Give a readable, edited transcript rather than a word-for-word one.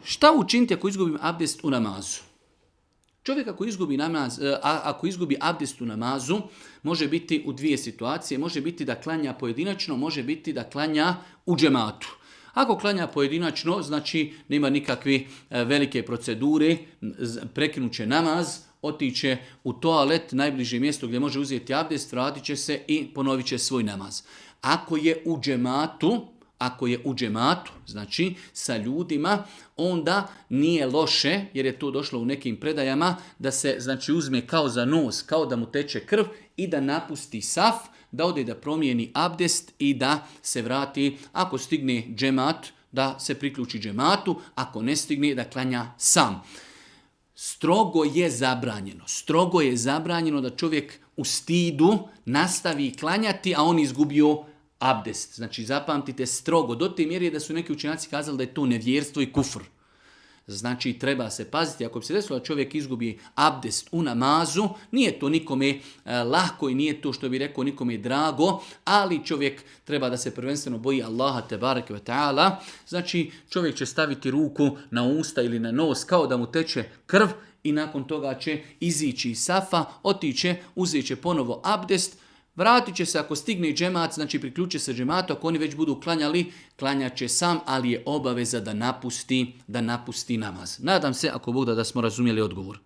Šta učiniti ako izgubim abdest u namazu? Čovjek ako izgubi abdest u namazu, može biti u dvije situacije. Može biti da klanja pojedinačno, može biti da klanja u džematu. Ako klanja pojedinačno, znači nema nikakve velike procedure, prekinuće namaz, otiće u toalet, najbliže mjesto gdje može uzeti abdest, vratit će se i ponovit će svoj namaz. Ako je u džematu, znači sa ljudima, onda nije loše, jer je to došlo u nekim predajama, da se znači uzme kao za nos, kao da mu teče krv i da napusti saf, da ode da promijeni abdest i da se vrati, ako stigne džemat, da se priključi džematu, ako ne stigne da klanja sam. Strogo je zabranjeno da čovjek u stidu nastavi klanjati, a on izgubio abdest. Znači zapamtite strogo, do te mjere da su neki učenjaci kazali da je to nevjerstvo i kufr. Znači treba se paziti, ako bi se desilo da čovjek izgubi abdest u namazu, nije to nikome lahko i nije to što bi rekao nikome drago, ali čovjek treba da se prvenstveno boji Allaha tebareke ve ta'ala. Znači čovjek će staviti ruku na usta ili na nos kao da mu teče krv i nakon toga će izići iz safa, otiće, uzet će ponovo abdest, vratit će se ako stigne džemat, znači priključi se džematu, ako oni već budu klanjali, klanjat će sam, ali je obaveza da napusti namaz. Nadam se, ako Bog da smo razumjeli odgovor.